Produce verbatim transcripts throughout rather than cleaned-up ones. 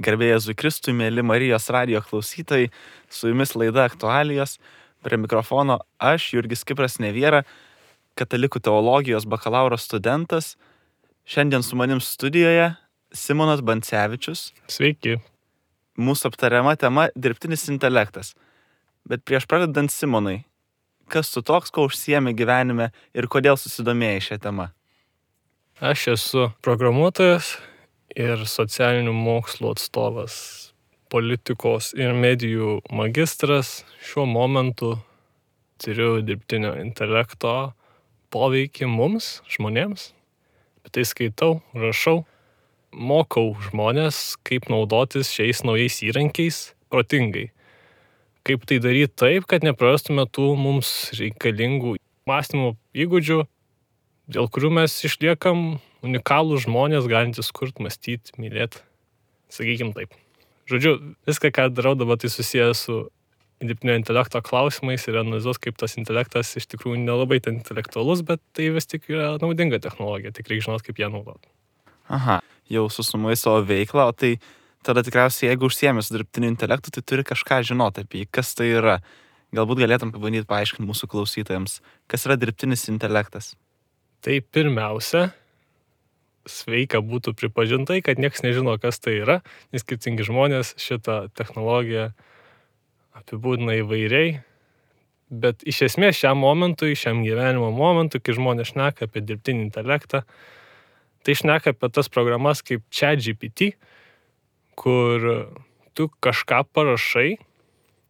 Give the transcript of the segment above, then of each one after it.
Garbė Jėzui Kristui, mėly Marijos radijo klausytojai, su jumis laida Aktualijos, prie mikrofono aš, Jurgis Kipras Neviera, katalikų teologijos bakalauro studentas. Šiandien su manim studijoje Simonas Bancevičius. Sveiki. Mūsų aptariama tema – dirbtinis intelektas. Bet prieš pradedant, Simonai, kas tu toks, ko užsiemi gyvenime ir kodėl susidomėjai šią temą? Aš esu programuotojas ir socialinių mokslų atstovas, politikos ir medijų magistras. Šiuo momentu turiu dirbtinio intelekto poveikį mums, žmonėms. Bet tai skaitau, rašau, mokau žmonės, kaip naudotis šiais naujais įrankiais protingai. Kaip tai daryti taip, kad neprarastume tų mums reikalingų mąstymo įgūdžių, dėl kurių mes išliekam unikalūs žmonės, galintys kurt, mąstyti, mylėti. Sakykim taip. Žodžiu, viską, ką darau dabar, tai susijęs su dirbtinio intelekto klausimais ir analizuos, kaip tas intelektas iš tikrųjų nelabai ten intelektualus, bet tai vis tik yra naudinga technologija, tik reikia žinoti, kaip ją naudoti. Aha, jau susumuoji savo veiklą, o tai tada tikriausiai, jeigu užsiemi su dirbtiniu intelektu, tai turi kažką žinoti apie jį, kas tai yra. Galbūt galėtum pabandyti paaiškinti mūsų klausytojams, kas yra dirbtinis intelektas. Tai pirmiausia, sveika būtų pripažintai, kad niekas nežino, kas tai yra, nes skirtingi žmonės šitą technologiją apibūdina įvairiai, bet iš esmės šiam momentui, šiam gyvenimo momentui, kai žmonės šneka apie dirbtinį intelektą, tai šneka apie tas programas kaip ChatGPT, kur tu kažką parašai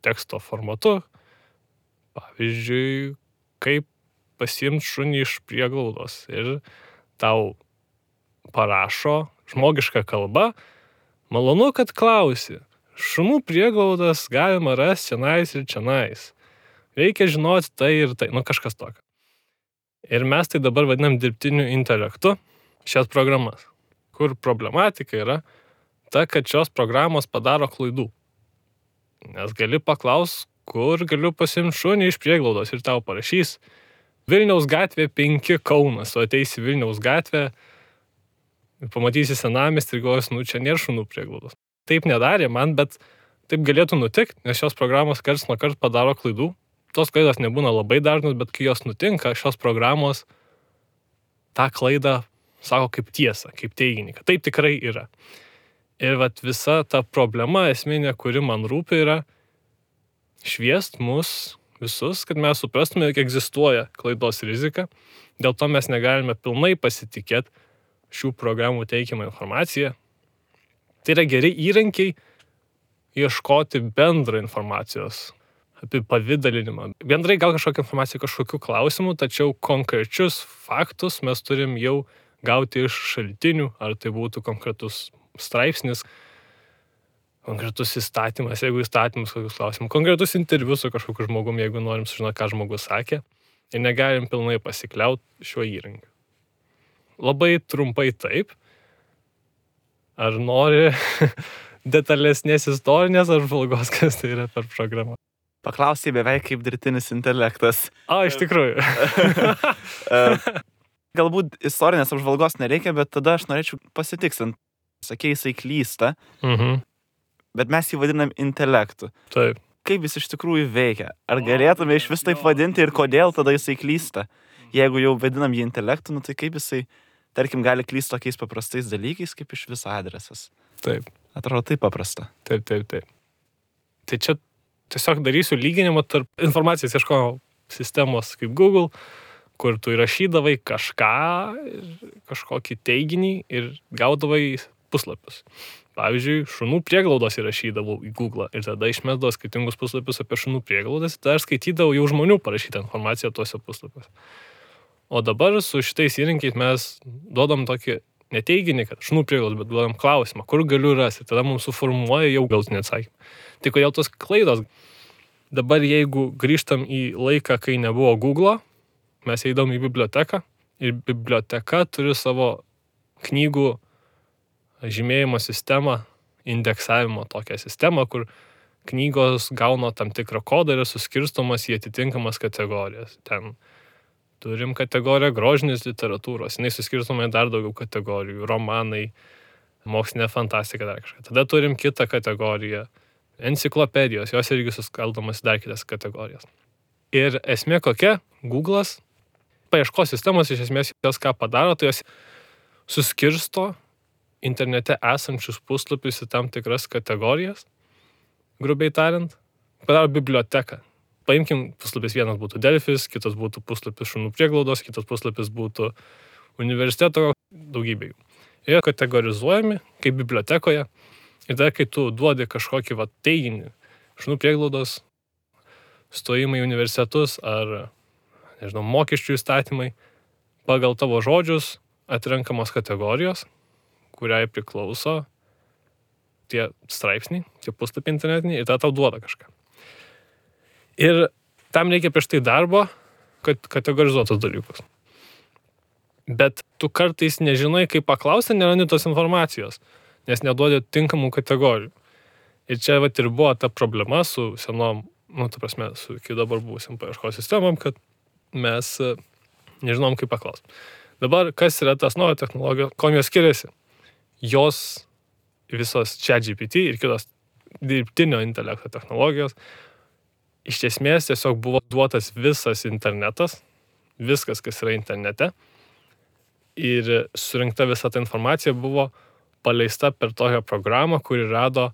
teksto formatu, pavyzdžiui, kaip pasiimti šunį iš prieglaudos ir tau parašo žmogišką kalbą, malonu, kad klausi. Šunų prieglaudas galima rasti čionais ir čionais. Reikia žinoti tai ir tai, nu kažkas tokio. Ir mes tai dabar vadinam dirbtiniu intelektu šias programas, kur problematika yra ta, kad šios programos padaro klaidų. Nes gali paklaus, kur galiu pasiimti šunį iš prieglaudos ir tau parašys Vilniaus gatvė penki Kaunas, o ateisi Vilniaus gatvę ir pamatysi senamiestį ir galvosi, nu čia nėra šunų prieglaudos. Taip nedarė man, bet taip galėtų nutikti, nes šios programos karts nuo karto padaro klaidų. Tos klaidos nebūna labai dažnos, bet kai jos nutinka, šios programos tą klaidą sako kaip tiesą, kaip teiginį, kad taip tikrai yra. Ir vat visa ta problema esminė, kuri man rūpi, yra šviest mus visus, kad mes suprastume, jog egzistuoja klaidos rizika. Dėl to mes negalime pilnai pasitikėti šių programų teikiamą informaciją. Tai yra geri įrankiai ieškoti bendrą informacijos apie pavidalinimą. Bendrai gal kažkokią informaciją kažkokių klausimų, tačiau konkrečius faktus mes turim jau gauti iš šaltinių, ar tai būtų konkretus straipsnis, konkretus įstatymas, jeigu įstatymus kokius klausimus, konkretus interviu su kažkokiu žmogum, jeigu norim sužinoti, ką žmogus sakė, ir negalim pilnai pasikliauti šiuo įrankiu. Labai trumpai taip. Ar nori detalesnės istorinės ar žvalgos, kas tai yra per programą? Paklausai beveik kaip dirbtinis intelektas. O, iš tikrųjų. Galbūt istorinės apžvalgos nereikia, bet tada aš norėčiau pasitiksint. Sakei, jisai klysta, Mhm. bet mes jį vadinam intelektu. Taip. Kaip jis iš tikrųjų veikia? Ar galėtume iš vis taip vadinti ir kodėl tada jisai klysta? Jeigu jau vadinam jį intelektu, nu tai kaip jisai, tarkim, gali klysti tokiais paprastais dalykais, kaip iš viso adresas? Taip. Atrodo taip paprasta. Taip, taip, taip. Tai čia tiesiog darysiu lyginimą tarp informacijos ieškojimo sistemos kaip Google, kur tu įrašydavai kažką, kažkokį teiginį ir gaudavai puslapius. Pavyzdžiui, šunų prieglaudos įrašydavau į Google ir tada išmesdavau skirtingus puslapius apie šunų prieglaudas ir tada aš skaitydavau jau žmonių parašytą informaciją tuose puslapiuose. O dabar su šitais įrankiais mes duodam tokį neteiginį, kad šunų prieglaudos, bet duodam klausimą, kur galiu rasti, tada mums suformuoja jau galutinį atsakymą. Tai kodėl tos klaidos? Dabar jeigu grįžtam į laiką, kai nebuvo Google, mes eidom į biblioteką ir biblioteka turi savo knygų žymėjimo sistemą, indeksavimo tokią sistemą, kur knygos gauna tam tikrą kodą ir suskirstomas į atitinkamas kategorijas. Ten turim kategoriją grožinės literatūros, jinai suskirstoma į dar daugiau kategorijų, romanai, mokslinė fantastika dar kažką. Tada turim kitą kategoriją. Enciklopedijos, jos irgi suskaldomas dar kitas kategorijas. Ir esmė kokia? Google'as, paieškos sistemos iš esmės jos ką padaro, tai jos suskirsto internete esančius puslapius į tam tikras kategorijas, grubiai tariant, padaro biblioteką. Paimkim, puslapis vienas būtų Delfis, kitas būtų puslapis šunų prieglaudos, kitas puslapis būtų universiteto, daugybė jų. Jie kategorizuojami kaip bibliotekoje ir tada, kai tu duodi kažkokį va, teiginį, šunų prieglaudos, stojimai į universitetus ar, nežinau, mokesčių įstatymai, pagal tavo žodžius atrenkamos kategorijos, kuriai priklauso tie straipsniai, tie puslapiai internetiniai ir tada tau duoda kažką. Ir tam reikia prieš tai darbo, kad kategorizuotus dalykus. Bet tu kartais nežinai, kaip paklausti, nerandi tos informacijos, nes neduodi tinkamų kategorijų. Ir čia vat ir buvo ta problema su senom, nu, ta prasme, su iki dabar buvusiam paieškos sistemom, kad mes nežinom, kaip paklausti. Dabar, kas yra tas nauja technologija, kuo jos skiriasi? Jos visos ChatGPT ir kitos dirbtinio intelekto technologijos iš esmės tiesiog buvo duotas visas internetas, viskas, kas yra internete, ir surinkta visa ta informacija buvo paleista per tokią programą, kuri rado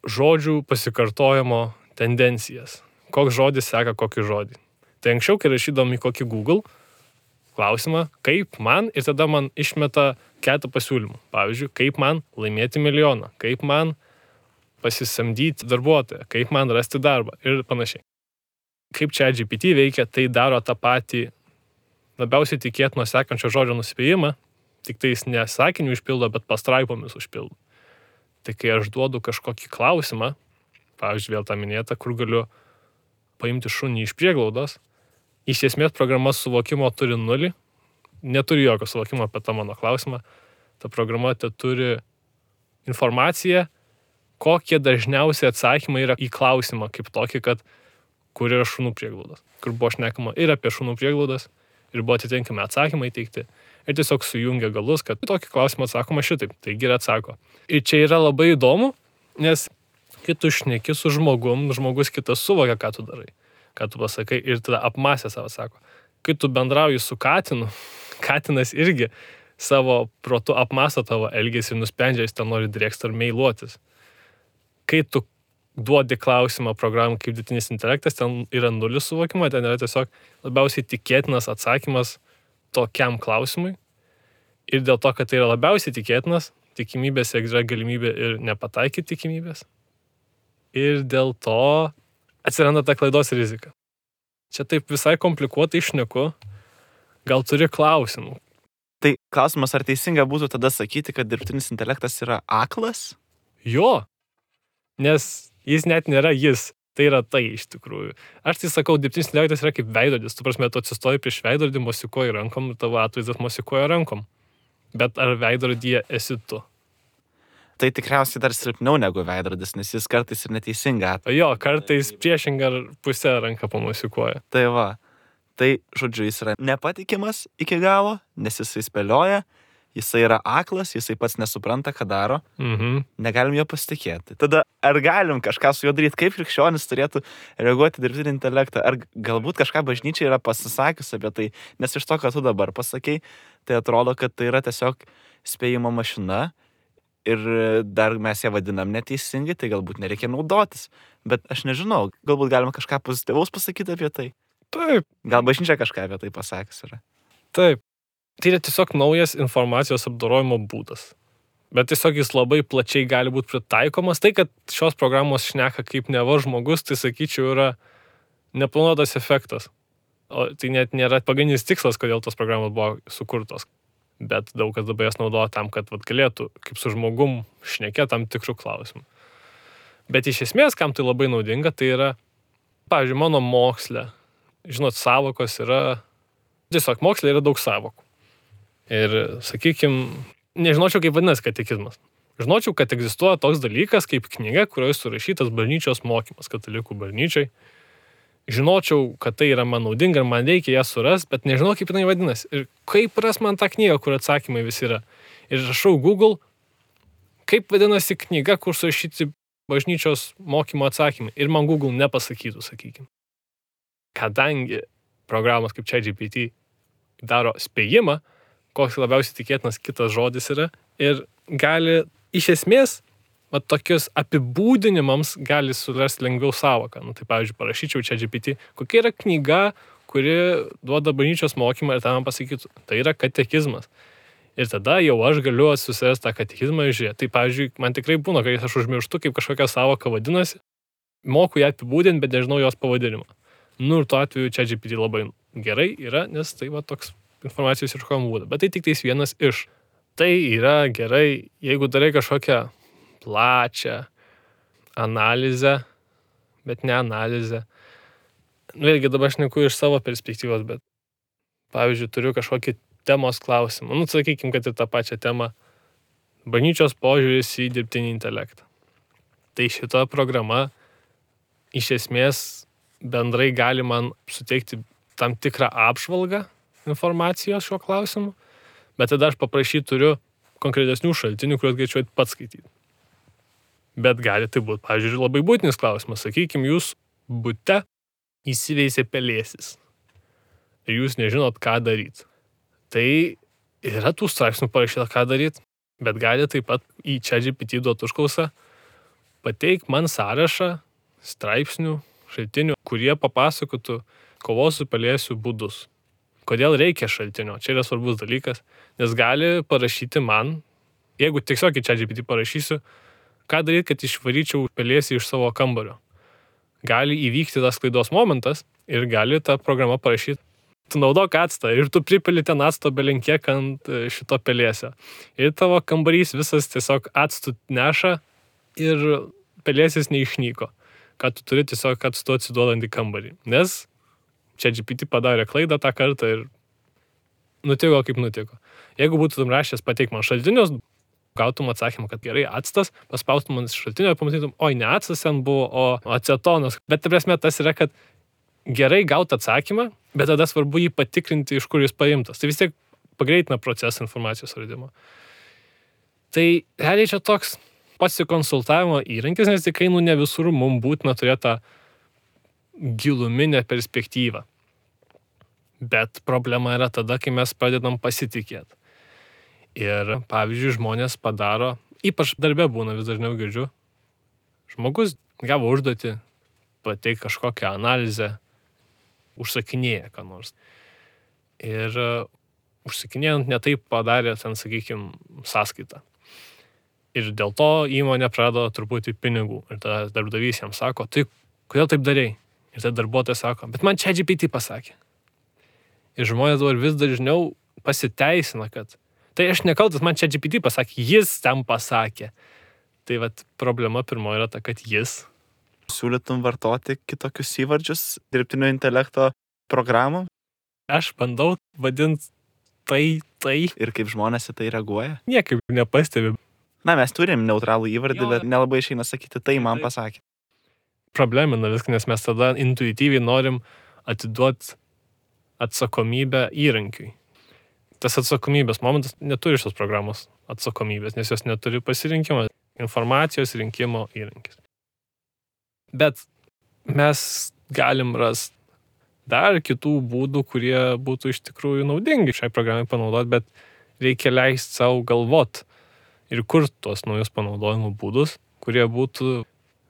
žodžių pasikartojimo tendencijas. Koks žodis seka kokį žodį. Tai anksčiau, kai rašydom į kokį Google klausimą, kaip man, ir tada man išmeta keletą pasiūlymų. Pavyzdžiui, kaip man laimėti milijoną, kaip man pasisamdyti darbuotoją, kaip man rasti darbą ir panašiai. Kaip ChatGPT veikia, tai daro tą patį labiausiai tikėtino sekančio žodžio nuspėjimą, tik tai jis ne sakinių išpildo, bet pastraipomis užpildo. Tai kai aš duodu kažkokį klausimą, pavyzdžiui, vėl tą minėtą, kur galiu paimti šunį iš prieglaudos, iš esmės programa suvokimo turi nulį, neturi jokio suvokimo apie tą mano klausimą. Ta programa te turi informaciją, kokie dažniausiai atsakymai yra į klausimą, kaip tokį, kad kur yra šunų prieglaudos, kur buvo šnekama ir apie šunų prieglaudas, ir buvo atitinkami atsakymai teikti, ir tiesiog sujungia galus, kad tokį klausimą atsakoma šitaip, taigi ir atsako. Ir čia yra labai įdomu, nes kai tu šneki su žmogum, žmogus kitas suvokia, ką tu darai, ką tu pasakai, ir tada apmąstę savo sako. Kai tu bendrauji su katinu, katinas irgi savo protu apmąsto tavo elgesį ir nusprendžia, jis ten nori drėksti ar meiluotis. Kai tu duodi klausimą programai kaip dirbtinis intelektas, ten yra nulis suvokimo, ten yra tiesiog labiausiai tikėtinas atsakymas tokiam klausimui. Ir dėl to, kad tai yra labiausiai tikėtinas, tikimybės yra galimybė ir nepataikyti tikimybės. Ir dėl to atsiranda ta klaidos rizika. Čia taip visai komplikuotai šneku, gal turi klausimų. Tai klausimas, ar teisinga būtų tada sakyti, kad dirbtinis intelektas yra aklas? Jo, nes jis net nėra jis, tai yra tai iš tikrųjų. Aš tai sakau, dirbtinis intelektas yra kaip veidrodis, tu prasme, tu atsistoji prieš veidrodį, mosikuoji rankom, tavo atvaizdas mosikuoja rankom. Bet ar veidrodyje esi tu? Tai tikriausiai dar silpniau negu veidrodis, nes jis kartais ir neteisinga atvaizdas. Jo, kartais priešingą pusę ranką pamosikuoja. Tai va, tai žodžiu, jis yra nepatikimas iki galo, nes jisai spėlioja, jisai yra aklas, jisai pats nesupranta, ką daro, Mhm. negalim jo pasitikėti. Tada ar galim kažką su juo daryti, kaip krikščionis turėtų reaguoti dirbtinį intelektą, ar galbūt kažką bažnyčia yra pasisakius apie tai, nes iš to, ką tu dabar pasakei, tai atrodo, kad tai yra tiesiog spėjimo mašina ir dar mes ją vadinam neteisingai, tai galbūt nereikia naudotis. Bet aš nežinau, galbūt galima kažką pozityvaus pasakyti apie tai. Taip, Gal bažnyčia kažką apie tai pasakys yra. taip. Tai yra tiesiog naujas informacijos apdorojimo būdas. Bet tiesiog jis labai plačiai gali būti pritaikomas. Tai, kad šios programos šneka kaip neva žmogus, tai sakyčiau yra neplanuotas efektas. O tai net nėra pagrindinis tikslas, kodėl tos programos buvo sukurtos. Bet daug kas dabar jas naudoja tam, kad vat, galėtų kaip su žmogum šnekėti tam tikrų klausimų. Bet iš esmės, kam tai labai naudinga, tai yra, pavyzdžiui, mano moksle, žinot, savokos yra, tiesiog moksle yra daug savokų. Ir, sakykim, nežinočiau, kaip vadinasi katekizmas. Žinočiau, kad egzistuoja toks dalykas kaip knyga, kurioje surašytas bažnyčios mokymas katalikų bažnyčiai. Žinočiau, kad tai yra man naudinga ir man reikia ją suras, bet nežinau, kaip jinai vadinasi. Ir kaip ras man tą knygą, kur atsakymai visi yra. Ir rašau Google, kaip vadinasi knyga, kur surašyti bažnyčios mokymo atsakymai. Ir man Google nepasakytų, sakykime. Kadangi programos kaip ChatGPT daro spėjimą, koks labiausiai tikėtinas kitas žodis yra, ir gali iš esmės, va, tokius apibūdinimams gali surasti lengviau sąvoką. Nu, tai pavyzdžiui, parašyčiau ChatGPT, kokia yra knyga, kuri duoda bažnyčios mokymą ir tą man pasakytų. Tai yra katekizmas. Ir tada jau aš galiu susirasti tą katekizmą ir žiūrėti. Tai pavyzdžiui, man tikrai būna, kai aš užmirštu, kaip kažkokia sąvoka vadinasi, moku ją apibūdinti, bet nežinau jos pavadinimą. Nu ir tuo atveju ChatGPT labai gerai yra, nes tai va toks informacijos ieškojimo būdas. Bet tai tik tais vienas iš. Tai yra gerai, jeigu darai kažkokią plačią analizę, bet ne analizę. Nu, vėlgi dabar aš neku iš savo perspektyvos, bet pavyzdžiui, turiu kažkokį temos klausimą. Nu, sakykim, kad ir tą pačią temą. Bažnyčios požiūris į dirbtinį intelektą. Tai šita programa iš esmės bendrai gali man suteikti tam tikrą apžvalgą informacijos šiuo klausimu, bet tada aš paprašyti turiu konkretesnių šaltinių, kuriuos galėčiau pats skaityti. Bet gali tai būti, pavyzdžiui, labai būtinis klausimas. Sakykime, jūs bute įsiveisė pelėsis ir jūs nežinot, ką daryti. Tai yra tų straipsnių parašyta, ką daryti, bet gali taip pat į ChatGPT duoti užklausą pateik man sąrašą straipsnių, šaltinių, kurie papasakotų kovos su pelėsiu būdus. Kodėl reikia šaltinio? Čia yra svarbus dalykas, nes gali parašyti man, jeigu tiesiog į ChatGPT parašysiu, ką daryti, kad išvaryčiau pelėsį iš savo kambario. Gali įvykti tas klaidos momentas ir gali ta programa parašyti, tu naudok actą ir tu pripili ten acto belenkiek ant šito pelėsio. Ir tavo kambarys visas tiesiog actų neša ir pelėsis neišnyko, kad tu turi tiesiog actu atsiduodant į kambarį. Nes ChatGPT padarė klaidą tą kartą ir nutiko kaip nutiko. Jeigu būtum rašęs pateik man šaltinius, gautum atsakymą, kad gerai actas, paspaustum man šaltinio ir pamatytum, oi, ne actas ten buvo, o acetonas. Bet ta prasme tas yra, kad gerai gauti atsakymą, bet tada svarbu jį patikrinti, iš kur jis paimtas. Tai vis tiek pagreitina procesą informacijos radimo. Tai realiai čia toks pasikonsultavimo įrankis, nes tikrai nu ne visur mums būtina turėti tą giluminę perspektyvą. Bet problema yra tada, kai mes pradedam pasitikėti. Ir, pavyzdžiui, žmonės padaro, ypač darbe būna, vis dažniau girdžiu, žmogus gavo užduotį, pateik kažkokią analizę, užsakinėja ką nors. Ir uh, užsakinėjant netaip padarė ten, sakykime, sąskaitą. Ir dėl to įmonė prarado truputį pinigų. Ir tada darbdavys jam sako, tai kodėl taip darei? Ir tada darbuotojas sako, bet man ChatGPT pasakė. Ir žmonės dabar vis dažniau pasiteisina, kad tai aš nekaltas, man ChatGPT pasakė, jis tam pasakė. Tai vat problema pirmoji yra ta, kad jis. Siūlytum vartoti kitokius įvardžius dirbtinio intelekto programų? Aš bandau vadinti tai, tai. Ir kaip žmonės į tai reaguoja? Niekaip nepastebi. Na, mes turim neutralų įvardį, bet nelabai išeina sakyti, tai man pasakė. Problemina viską, nes mes tada intuityviai norim atiduoti atsakomybę įrankiui. Tas atsakomybės momentas neturi šios programos atsakomybės, nes jos neturi pasirinkimo, informacijos rinkimo įrankis. Bet mes galim rasti dar kitų būdų, kurie būtų iš tikrųjų naudingi šiai programai panaudoti, bet reikia leisti savo galvot ir kurti tuos naujus panaudojimo būdus, kurie būtų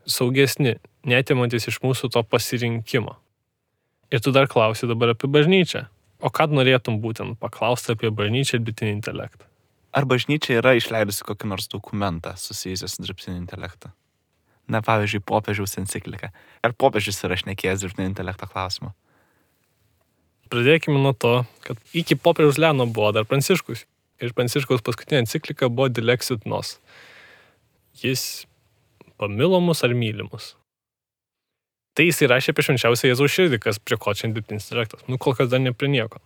saugesni, netimantis iš mūsų to pasirinkimo. Ir tu dar klausi dabar apie bažnyčią. O ką norėtum būtent paklausti apie bažnyčią ir dirbtinį intelektą? Ar bažnyčia yra išleidusi kokį nors dokumentą susijusį su dirbtiniu intelektu? Na, pavyzdžiui, popiežiaus enciklika. Ar popiežius yra šnekėjęs dirbtinio intelekto klausimu? Pradėkime nuo to, kad iki popiežiaus Leono buvo dar Pranciškus. Ir Pranciškaus paskutinė enciklika buvo Dilexit Nos. Jis pamilo mus ar mylimus. Tai jis įrašė apie švenčiausią Jėzaus širdį, kas prie ko čia dirbtinis intelektas. Nu, kol kas dar ne prie nieko.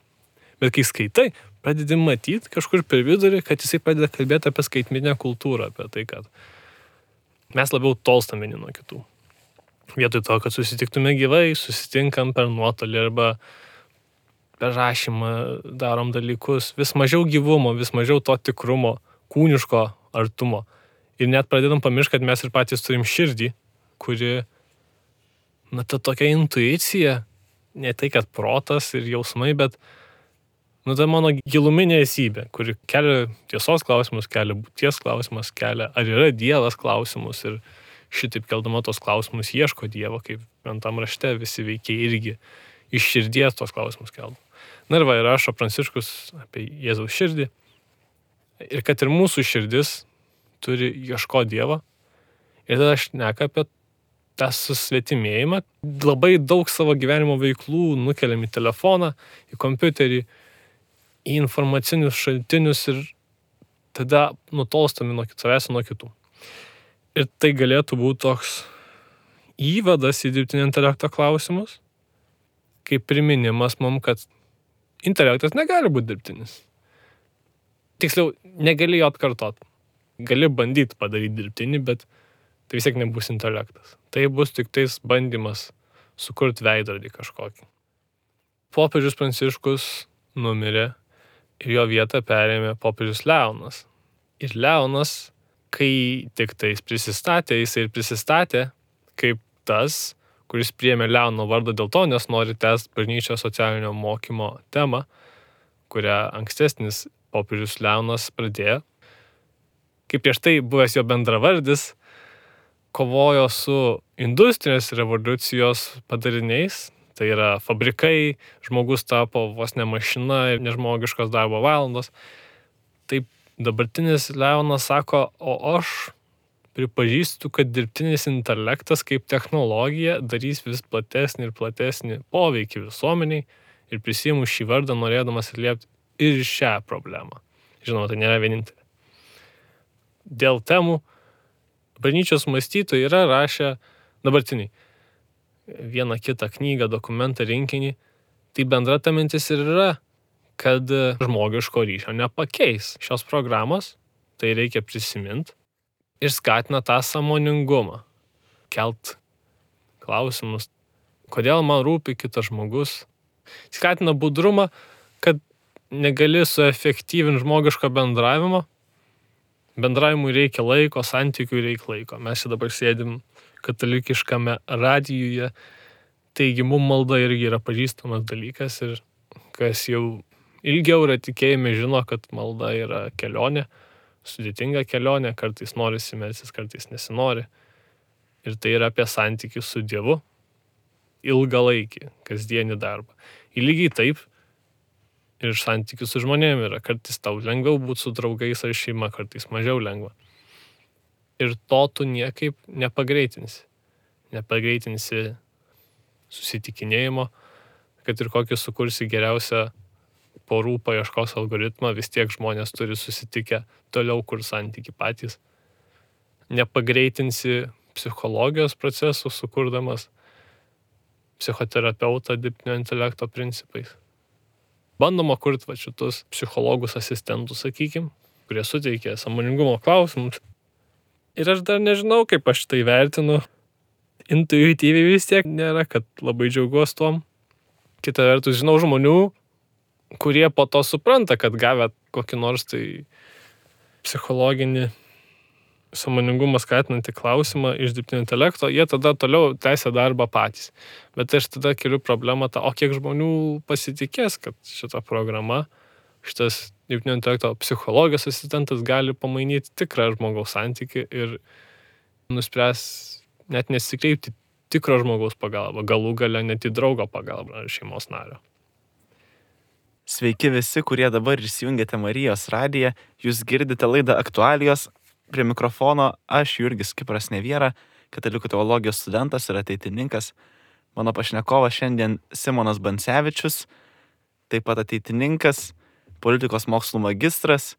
Bet kai skaitai, pradedi matyti kažkur per vidurį, kad jisai pradeda kalbėti apie skaitmeninę kultūrą, apie tai, kad mes labiau tolstam vieni nuo kitų. Vietoj to, kad susitiktume gyvai, susitinkam per nuotolį arba per rašymą darom dalykus. Vis mažiau gyvumo, vis mažiau to tikrumo, kūniško artumo. Ir net pradedam pamiršti, kad mes ir patys turim širdį, kuri, na, ta tokia intuicija, ne tai, kad protas ir jausmai, bet, nu, tai mano giluminė esybė, kuri kelia tiesos klausimus, kelia būties klausimus, kelia, ar yra Dievas klausimus ir šitaip keldama tos klausimus ieško Dievo, kaip tam rašte visi veikiai irgi iš širdies tos klausimus kelda. Na ir va, ir rašo Pranciškus apie Jėzaus širdį. Ir kad ir mūsų širdis turi ieško Dievo. Ir tada aš šneka apie tą susvetimėjimą. Labai daug savo gyvenimo veiklų nukeliam į telefoną, į kompiuterį, į informacinius šaltinius ir tada nutolstami nuo savęs nuo kitų. Ir tai galėtų būti toks įvadas į dirbtinio intelekto klausimus, kaip priminimas mum, kad intelektas negali būti dirbtinis. Tiksliau, negali jo atkartot. Gali bandyti padaryti dirbtinį, bet tai vis tiek nebus intelektas. Tai bus tik tais bandymas sukurti veidrodį kažkokį. Popiežius Pranciškus numirė ir jo vietą perėmė popiežius Leonas. Ir Leonas, kai tik tais prisistatė, jis ir prisistatė kaip tas, kuris priėmė Leono vardą dėl to, nes nori tęsti bažnyčios socialinio mokymo temą, kurią ankstesnis popiežius Leonas pradėjo. Kaip prieš tai buvęs jo bendravardis, kovojo su industrinės revoliucijos padariniais, tai yra fabrikai, žmogus tapo vos ne mašina ir nežmogiškos darbo valandos. Taip dabartinis Leonas sako, o aš pripažįstu, kad dirbtinis intelektas kaip technologija darys vis platesnį ir platesnį poveikį visuomeniai ir prisiimu šį vardą norėdamas atliepti ir šią problemą. Žinoma, tai nėra vienintelė. Dėl temų bažnyčios mąstytojai yra rašę dabartiniai vieną kitą knygą, dokumentą, rinkinį. Tai bendra ta mintis ir yra, kad žmogiško ryšio nepakeis šios programos, tai reikia prisiminti ir skatina tą sąmoningumą, kelt klausimus, kodėl man rūpi kitas žmogus. Skatina budrumą, kad negali suefektyvinti žmogiško bendravimo. Bendravimui reikia laiko, santykiui reikia laiko. Mes čia dabar sėdim katalikiškame radijuje, taigi mum malda irgi yra pažįstamas dalykas ir kas jau ilgiau yra tikėjime žino, kad malda yra kelionė, sudėtinga kelionė, kartais norisi melstis, kartais nesinori. Ir tai yra apie santykių su Dievu, ilgalaikį, kasdienį darbą. Ir lygiai taip ir santykių su žmonėmis yra. Kartais tau lengviau būti su draugais ar šeima, kartais mažiau lengva. Ir to tu niekaip nepagreitinsi. Nepagreitinsi susitikinėjimo, kad ir kokį sukursi geriausią porų paieškos algoritmą, vis tiek žmonės turi susitikę toliau kur santyki patys. Nepagreitinsi psichologijos procesų, sukurdamas psichoterapeutą dirbtinio intelekto principais. Bandoma kurti va šitus psichologus asistentus, sakykim, kurie suteikia sąmoningumo klausimus. Ir aš dar nežinau, kaip aš tai vertinu. Intuityviai vis tiek nėra, kad labai džiaugiuosi tuom. Kita vertus, žinau žmonių, kurie po to supranta, kad gavę kokį nors tai psichologinį sąmoningumą skatinantį klausimą iš dirbtinio intelekto, jie tada toliau tęsia darbą patys. Bet aš tada keliu problemą tą, o kiek žmonių pasitikės, kad šita programa, šitas dirbtinio intelekto psichologijos asistentas gali pamainyti tikrą žmogaus santykį ir nuspręs net nesikreipti tikro žmogaus pagalbą, galų gale net į draugo pagalbą ar šeimos nario. Sveiki visi, kurie dabar įsijungėte Marijos radiją, jūs girdite laidą Aktualijos. Prie mikrofono aš, Jurgis Kipras Neviera, katalikų teologijos studentas ir ateitininkas. Mano pašnekovas šiandien Simonas Bancevičius, taip pat ateitininkas, politikos mokslų magistras,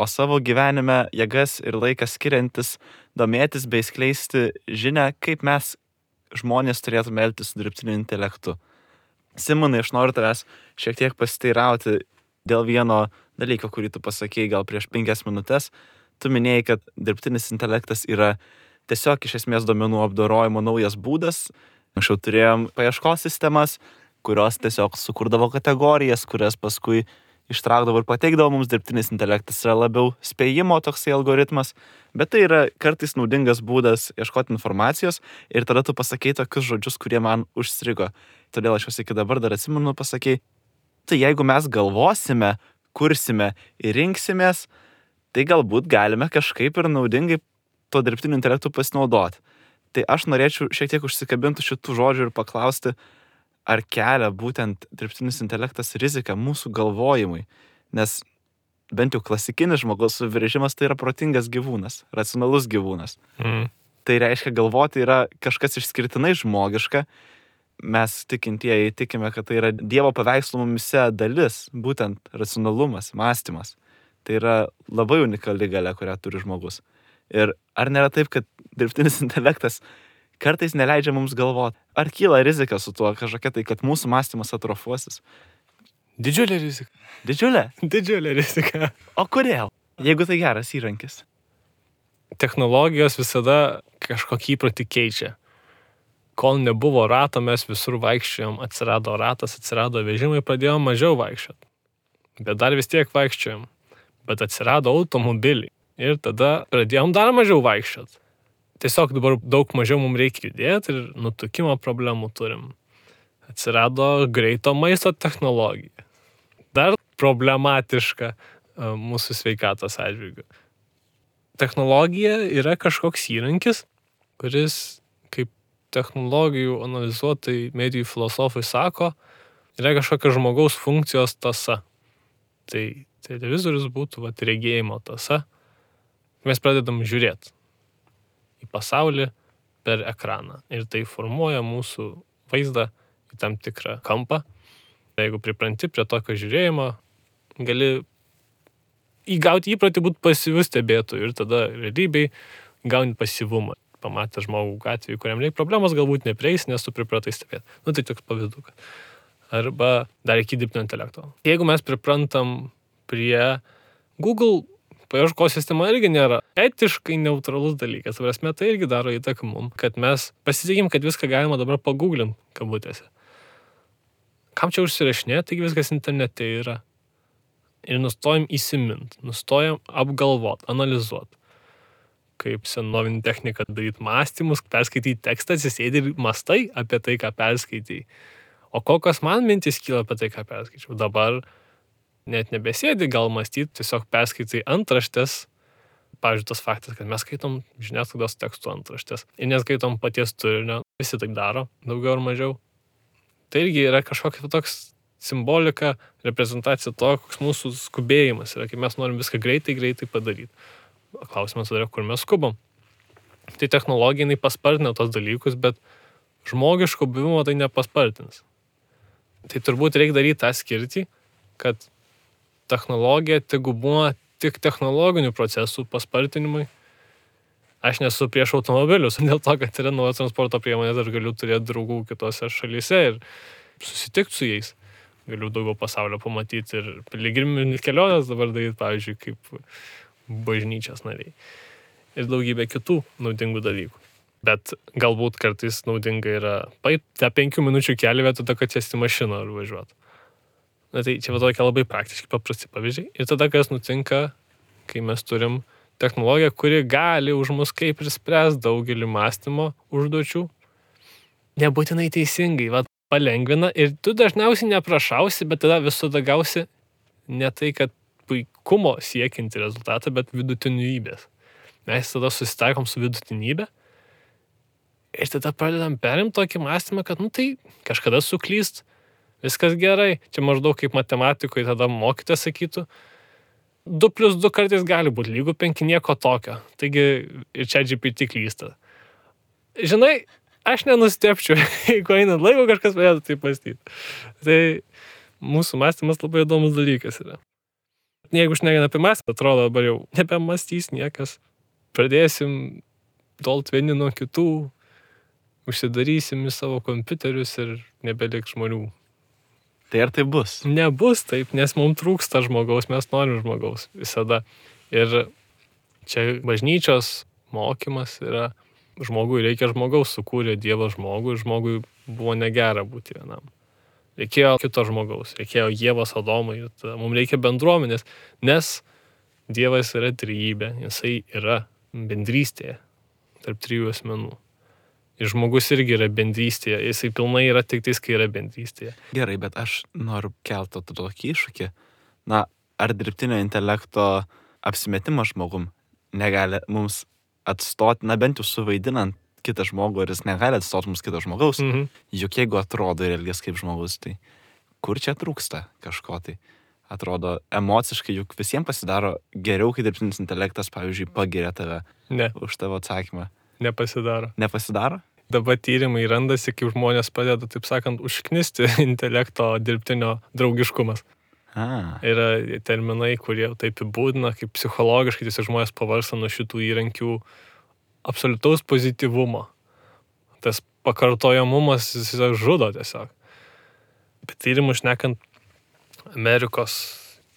o savo gyvenime jėgas ir laikas skiriantis domėtis bei skleisti žinią, kaip mes žmonės turėtume elgtis su dirbtiniu intelektu. Simonai, aš noriu tavęs šiek tiek pasiteirauti dėl vieno dalyko, kurį tu pasakėjai gal prieš penkias minutės. Tu minėjai, kad dirbtinis intelektas yra tiesiog iš esmės duomenų apdorojimo naujas būdas. Anksčiau turėjom paieškos sistemas, kurios tiesiog sukurdavo kategorijas, kurias paskui ištraukdavo ir pateikdavo mums, dirbtinis intelektas yra labiau spėjimo toksai algoritmas, bet tai yra kartais naudingas būdas ieškoti informacijos ir tada tu pasakei tokius žodžius, kurie man užstrigo. Todėl aš juos iki dabar dar atsimenu pasakei. Tai jeigu mes galvosime, kursime ir rinksimės, tai galbūt galime kažkaip ir naudingai to dirbtiniu intelektu pasinaudoti. Tai aš norėčiau šiek tiek užsikabinti šitų žodžių ir paklausti, ar kelia būtent dirbtinis intelektas riziką mūsų galvojimui. Nes bent jau klasikinis žmogaus suviržimas tai yra protingas gyvūnas, racionalus gyvūnas. Mm. Tai reiškia, galvoti yra kažkas išskirtinai žmogiška. Mes tikintieji tikime, kad tai yra Dievo paveikslo mumise dalis, būtent racionalumas, mąstymas. Tai yra labai unikali galia, kurią turi žmogus. Ir ar nėra taip, kad dirbtinis intelektas kartais neleidžia mums galvoti? Ar kyla rizika su tuo kažkokia tai, kad mūsų mąstymas atrofuosis? Didžiulė rizika. Didžiulė? Didžiulė rizika. O kodėl? Jeigu tai geras įrankis. Technologijos visada kažkokį įprotį keičia. Kol nebuvo rato, mes visur vaikščiojom, atsirado ratas, atsirado vežimai, pradėjom mažiau vaikščioti. Bet dar vis tiek vaikščiojom. Bet atsirado automobiliai. Ir tada pradėjom dar mažiau vaikščioti. Tiesiog dabar daug mažiau mums reikia judėti ir nutukimo problemų turim. Atsirado greito maisto technologija. Dar problematiška mūsų sveikatos atžvilgiu. Technologija yra kažkoks įrankis, kuris, kaip technologijų analizuotojai, medijų filosofai sako, yra kažkokia žmogaus funkcijos tąsa. Tai televizorius būtų vat, regėjimo tąsa. Mes pradedam žiūrėti į pasaulį per ekraną. Ir tai formuoja mūsų vaizdą į tam tikrą kampą. Jeigu pripranti prie tokio žiūrėjimo, gali įgauti įprotį būti pasyviu stebėtoju ir tada realybėj gauni pasyvumą. Pamatę žmogų gatvėje, kuriam reikia problemos, galbūt neprieis, nes tu pripratai stebėti. Nu tai toks pavydukas. Arba dar iki dirbtinio intelekto. Jeigu mes priprantam prie Google, paieškos sistema irgi nėra etiškai neutralus dalykas. Prasme, tai irgi daro įtaką mum, kad mes pasitikim, kad viską galima dabar pagooglint kabutėse. Kam čia užsirašinėti, taigi viskas internete yra. Ir nustojam įsimint, nustojam apgalvot, analizuot. Kaip senovinė technika daryti mąstymus, perskaityti tekstą, atsisėdi ir mąstai apie tai, ką perskaitai. O kokios man mintys kyla apie tai, ką perskaičiau. Dabar net nebesėdi gal mąstyti, tiesiog perskaitai antraštės. Pavyzdžiui, tas faktas, kad mes skaitom žiniasklaidos tekstų antraštės ir neskaitom paties turinio. Visi taip daro, daugiau ar mažiau. Tai irgi yra kažkokia toks simbolika, reprezentacija to, koks mūsų skubėjimas yra, kai mes norim viską greitai, greitai padaryti. Klausimas yra, kur mes skubam. Tai technologija, jinai paspartina tos dalykus, bet žmogiško buvimo tai nepaspartins. Tai turbūt reikia daryti tą skirtį, kad technologija tegu būna tik technologinių procesų paspartinimui. Aš nesu prieš automobilius, dėl to, kad yra naujos transporto priemonės, aš galiu turėti draugų kitose šalyse ir susitikti su jais. Galiu daugiau pasaulio pamatyti ir piligriminės kelionės dabar daryti, pavyzdžiui, kaip bažnyčios nariai. Ir daugybė kitų naudingų dalykų. Bet galbūt kartais naudinga yra paip tą penkių minučių kelią vietoj to, kad sėsti mašiną ar važiuoti. Na tai čia va tokia labai praktiškai paprasti pavyzdžiai. Ir tada kas nutinka, kai mes turim technologiją, kuri gali už mus kaip ir spręs daugelį mąstymo užduočių. Nebūtinai teisingai, va, palengvina ir tu dažniausiai neprašausi, bet tada visada gausi ne tai, kad puikumo siekinti rezultatą, bet vidutinybės. Mes tada susitaikom su vidutinybė ir tada pradedam perimti tokį mąstymą, kad nu tai kažkada suklyst, viskas gerai. Čia maždaug kaip matematikoje tada mokytojas sakytų, du plius du kartais gali būti lygu penki, nieko tokio. Taigi ir čia G P T klysta. Žinai, aš nenustepčiau, jeigu einant laiko kažkas pradėtų taip mąstyti. Tai mūsų mąstymas labai įdomus dalykas yra. Jeigu šnekant apie mąstymą, atrodo dabar jau nebemąstys niekas. Pradėsim tolt vieni nuo kitų, užsidarysim į savo kompiuterius ir nebeliks žmonių. Tai ar tai bus? Nebus taip, nes mums trūksta žmogaus, mes norim žmogaus visada. Ir čia bažnyčios mokymas yra, žmogui reikia žmogaus, sukūrė Dievas žmogų ir žmogui buvo negera būti vienam. reikėjo kito žmogaus, reikėjo Ievos, Adomui, mums reikia bendruomenės, nes Dievas yra trejybė, jisai yra bendrystėje tarp trijų asmenų. Ir žmogus irgi yra bendrystėje, jisai pilnai yra tik tais, kai yra bendrystėje. Gerai, bet aš noriu kelti tokį iššūkį. Na, ar dirbtinio intelekto apsimetimas žmogum negali mums atstoti, na bent jau suvaidinant kitą žmogų, ir jis negali atstoti mums kito žmogaus, Mhm. juk jeigu atrodo ir elgiasi kaip žmogus, tai kur čia trūksta kažko tai? Atrodo, emociškai juk visiems pasidaro geriau, kai dirbtinis intelektas, pavyzdžiui, pagiria tave Ne, už tavo atsakymą. nepasidaro. Nepasidaro? Dabar tyrimai randasi, kaip žmonės padeda, taip sakant, užknisti intelekto dirbtinio draugiškumas. A, Yra terminai, kurie taip įbūdina, kaip psichologiškai tiesiog žmonės pavarsta nuo šitų įrankių absoliutaus pozityvumo. Tas pakartojamumas jis tiesiog žudo tiesiog. Bet tyrimų šnekant, Amerikos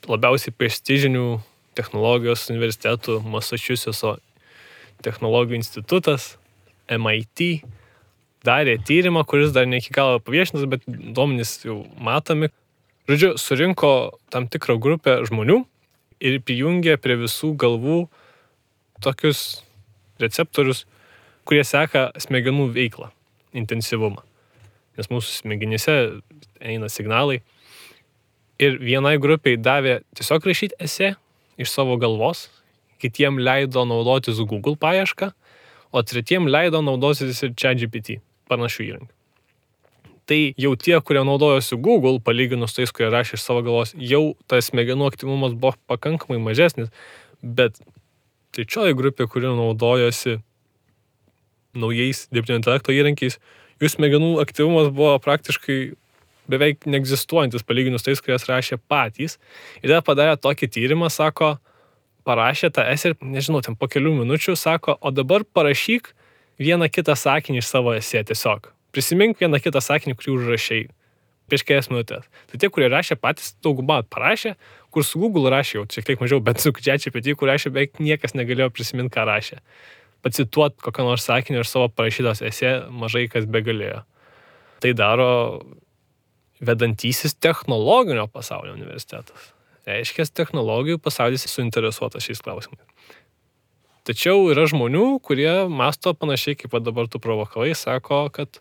labiausiai prestižinių technologijos universitetų Massachusetts technologijų institutas, M I T, darė tyrimą, kuris dar ne iki galo paviešintas, bet duomenys jau matomi. Žodžiu, surinko tam tikrą grupę žmonių ir prijungė prie visų galvų tokius receptorius, kurie seka smegenų veiklą, intensyvumą. Nes mūsų smegenyse eina signalai. Ir vienai grupiai davė tiesiog rašyti esė iš savo galvos, kitiem leido naudotis Google paiešką, o tretiem leido naudotis ir ChatGPT, panašių įrankių. Tai jau tie, kurie naudojosi Google, palyginus tais, kurie rašė iš savo galvos, jau tas smegenų aktyvumas buvo pakankamai mažesnis, bet trečioji grupė, kuri naudojosi naujais dirbtinio intelekto įrankiais, jų smegenų aktyvumas buvo praktiškai beveik neegzistuojantis, palyginus tais, kurie rašė patys. Ir tada padarė tokį tyrimą, sako, parašė tą esę ir, nežinau, ten po kelių minučių, sako, o dabar parašyk vieną kitą sakinį iš savo esė tiesiog. Prisimink vieną kitą sakinį, kurį užrašei prieš kelias minutės. Tai tie, kurie rašė patys, daugumą parašė, kur su Google rašė jau šiek tiek mažiau, bet su ChatGPT, kur rašė, beveik niekas negalėjo prisiminti, ką rašė. Pacituot kokią nors sakinį iš savo parašytos esė mažai kas begalėjo. Tai daro vedantysis technologinio pasaulio universitetas. Reiškia, technologijų pasaulis suinteresuotas šiais klausimais. Tačiau yra žmonių, kurie masto panašiai, kaip dabar tu provokavai, sako, kad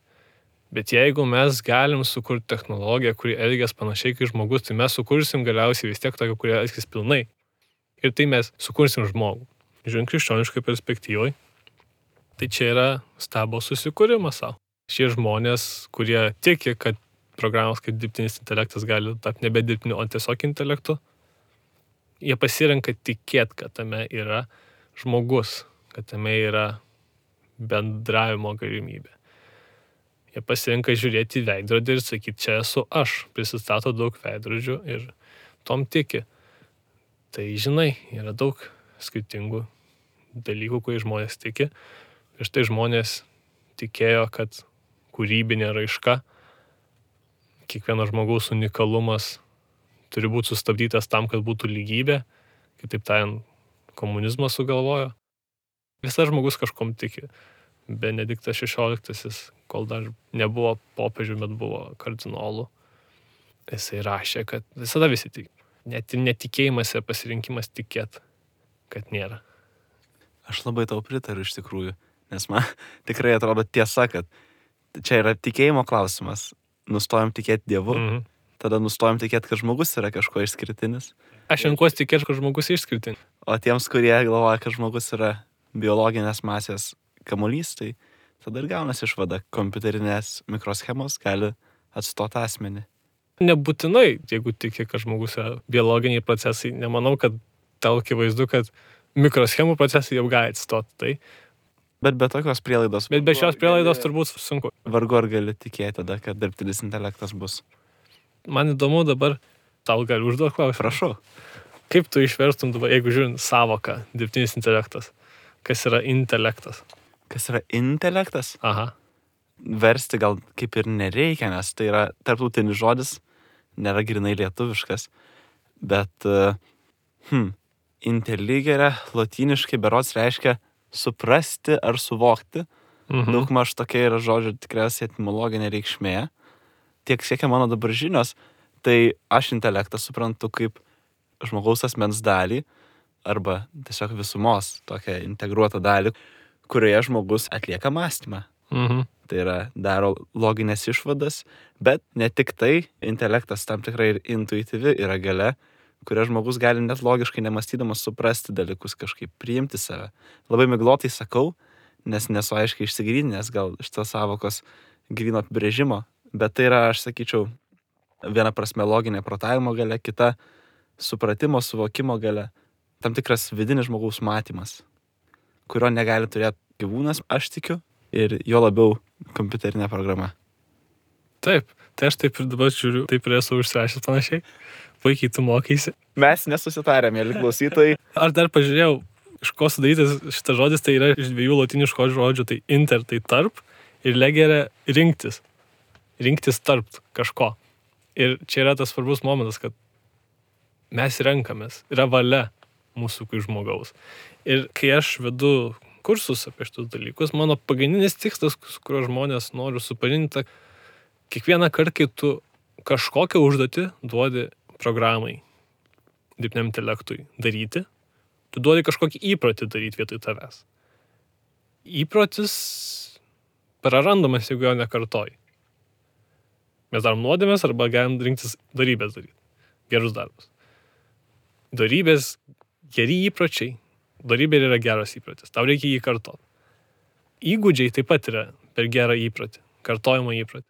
bet jeigu mes galim sukurti technologiją, kuri elgias panašiai kaip žmogus, tai mes sukursim galiausiai vis tiek tokią, kurie elgis pilnai. Ir tai mes sukursim žmogų. Žiūrint krikščioniškai perspektyvai, tai čia yra stabo susikūrimas savo. Šie žmonės, kurie tiki, kad programos kaip dirbtinis intelektas gali tapti nebe dirbtiniu, o tiesiog intelektu, jie pasirenka tikėti, kad tame yra žmogus, kad tame yra bendravimo galimybė. Jie pasirenka žiūrėti į veidrodį ir sakyti, čia esu aš, prisistato daug veidrodžių ir tom tiki. Tai žinai, yra daug skirtingų dalykų, kurie žmonės tiki. Ir štai žmonės tikėjo, kad kūrybinė raiška, kiekvieno žmogaus unikalumas turi būti sustabdytas tam, kad būtų lygybė, kitaip tariant, komunizmas sugalvojo. Visas žmogus kažkom tiki. Benediktas šešioliktasis, kol dar nebuvo popiežių, bet buvo kardinolų, jisai rašė, kad visada visi tiki. Net ir netikėjimas ir pasirinkimas tikėt, kad nėra. aš labai tau pritariu iš tikrųjų, nes man tikrai atrodo tiesa, kad čia yra tikėjimo klausimas. Nustojam tikėti Dievu, Mhm. tada nustojam tikėti, kad žmogus yra kažko išskirtinis. Aš renkuosi tikėti, kad žmogus išskirtinis. O tiems, kurie galvoja, kad žmogus yra biologinės masės kamuolys, tai tada ir gaunasi išvada, kompiuterinės mikroschemos gali atstoti asmenį. Nebūtinai, jeigu tiki, kad žmogus yra biologiniai procesai, nemanau, kad tau akivaizdu, kad mikroschemų procesai jau gali atstoti tai. Bet be tokios prielaidos, Bet be šios prielaidos turbūt sunku. vargu ar gali tikėti tada, kad dirbtinis intelektas bus. Man įdomu dabar, tau gali užduoti klausimą. Prašau. Kaip tu išverstum dabar, jeigu žiūrint savoką, dirbtinis intelektas? Kas yra intelektas? Kas yra intelektas? Aha. Versti gal kaip ir nereikia, nes tai yra tarptautinis žodis, nėra grinai lietuviškas. Bet, hm, inteligere lotyniškai berods reiškia suprasti ar suvokti. Mhm. Daugmaž tokia yra žodžio tikriausiai etimologinė reikšmė. tiek siekia mano dabar žinios, tai aš intelektą suprantu kaip žmogaus asmens dalį arba tiesiog visumos tokią integruotą dalį, kurioje žmogus atlieka mąstymą. Mhm. Tai yra, daro loginės išvadas, bet ne tik tai, intelektas tam tikrai ir intuityvi yra galia, kuria žmogus gali net logiškai nemastydamas suprasti dalykus, kažkaip priimti save. Labai miglotai sakau, nes nesu aiškiai išsigryninęs gal šitos savokos gryno apibrėžimo, bet tai yra, aš sakyčiau, viena prasme loginė protavimo galia, kita supratimo, suvokimo galia, tam tikras vidinis žmogaus matymas, kurio negali turėti gyvūnas, aš tikiu, ir jo labiau kompiuterinė programa. Taip, tai aš taip ir dabar žiūriu, taip ir esu užsirašęs panašiai. Puikiai tu mokaisi. Mes nesusitarėm, mėly klausytojai. Aš dar pažiūrėjau, iš ko sudarytas šitas žodis, tai yra iš dviejų lotiniškų žodžių, tai inter, tai tarp, ir legere rinktis. Rinktis tarp kažko. Ir čia yra tas svarbus momentas, kad mes renkamės, yra valia mūsų kaip žmogaus. Ir kai aš vedu kursus apie šitus dalykus, mano pagrindinis tikslas, su kuriuo žmonės noriu supažindinti, kiekvieną kartą, kai tu kažkokią užduotį duodi programai, dirbtiniam intelektui daryti, tu duodi kažkokį įprotį daryti vietoj tavęs. Įprotis prarandamas, jeigu jo nekartoji. Mes darom nuodėmės arba galim rinktis darybės daryti. Gerus darbus. Darybės, geri įpročiai. Darybė yra geras įprotis. Tau reikia jį kartoti. Įgūdžiai taip pat yra per gerą įprotį. Kartojimo įprotį.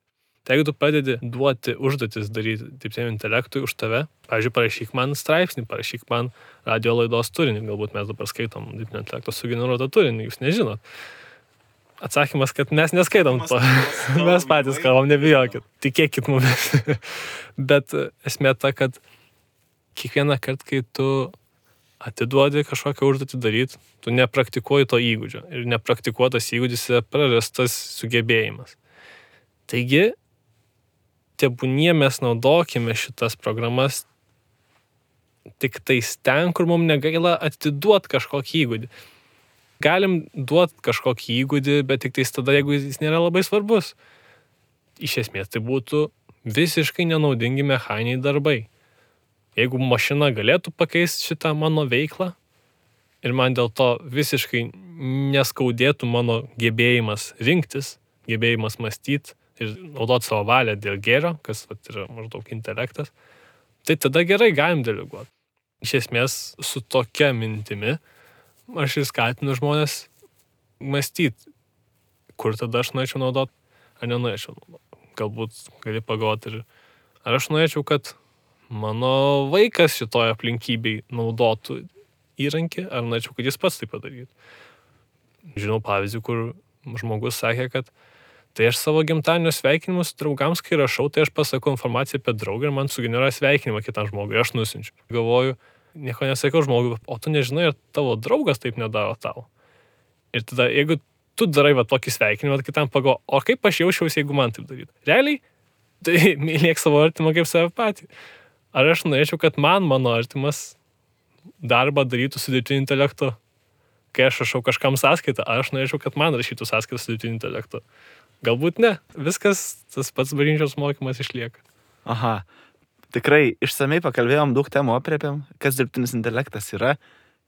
Tai jeigu tu padedi duoti užduotis daryti dirbtiniam intelektui už tave, pavyzdžiui, parašyk man straipsnį, parašyk man radio laidos turinį, galbūt mes dabar skaitom dirbtinio intelekto sugeneruotą turinį, jūs nežinot. Atsakymas, kad mes neskaitom to. Mes patys kalbam, nebijokit. Tikėkit mumis. Bet esmė ta, kad kiekvieną kartą, kai tu atiduodi kažkokią užduotį daryti, tu nepraktikuoji to įgūdžio. Ir nepraktikuotas įgūdis yra prarastas sugebėjimas. Taigi, tebūnie mes naudokime šitas programas tik tais ten, kur mums negaila atiduoti kažkokį įgūdį. Galim duoti kažkokį įgūdį, bet tik tais tada, jeigu jis nėra labai svarbus. Iš esmės, tai būtų visiškai nenaudingi mechaniniai darbai. Jeigu mašina galėtų pakeisti šitą mano veiklą ir man dėl to visiškai neskaudėtų mano gebėjimas rinktis, gebėjimas mąstyti ir naudoti savo valią dėl gėrio, kas vat, yra maždaug intelektas, tai tada gerai galim deleguoti. Iš esmės, su tokia mintimi aš ir skatinu žmonės mąstyti, kur tada aš norėčiau naudoti, ar nenorėčiau naudoti. Galbūt gali pagalvoti ir ar aš norėčiau, kad mano vaikas šitoje aplinkybei naudotų įrankį, ar norėčiau, kad jis pats tai padarytų. Žinau pavyzdį, kur žmogus sakė, kad tai aš savo gimtadienio sveikinimus draugams, kai rašau, tai aš pasakau informaciją apie draugą ir man sugeneruoja sveikinimą kitam žmogui, aš nusinčiu. Galvoju, nieko nesakau žmogui, o tu nežinai, ar tavo draugas taip nedaro tau. Ir tada, jeigu tu darai va tokį sveikinimą, kitam pagalvoju, o kaip aš jaučiausi, jeigu man taip darytų. Realiai, tai mylėk savo artimą kaip save patį. Ar aš norėčiau, kad man mano artimas darbą darytų su dirbtiniu intelektu? Kai aš rašau kažkam sąskaitą, ar aš norėčiau, kad man rašytų sąskaitą su dirbtiniu intelektu? Galbūt ne. Viskas, tas pats bažnyčios mokymas išlieka. Aha. Tikrai išsamei pakalbėjom, daug temų aprėpėm, kas dirbtinis intelektas yra,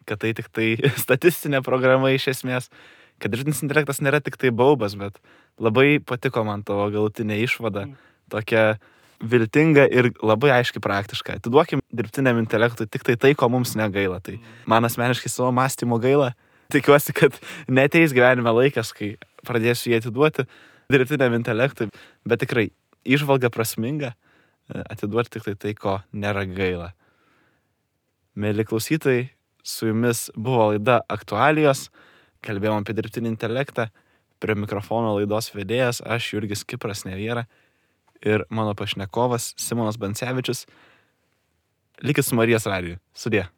kad tai tik tai statistinė programa iš esmės, kad dirbtinis intelektas nėra tik tai baubas, bet labai patiko man tavo galutinė išvada, tokia viltinga ir labai aiškiai praktiška. Atiduokim dirbtiniam intelektui tik tai tai, ko mums negaila. Tai man asmeniškai savo mąstymo gaila. Tikiuosi, kad neteis gyvenime laikas, kai pradėsiu jį atiduoti dirbtiniam intelektui, bet tikrai įžvalga prasminga atiduoti tik tai tai, ko nėra gaila. Mėly klausytojai, su jumis buvo laida Aktualijos, kalbėjom apie dirbtinį intelektą, prie mikrofono laidos vedėjas, aš Jurgis Kipras Neviera ir mano pašnekovas Simonas Bancevičius. Likit su Marijos radiju. Sudie.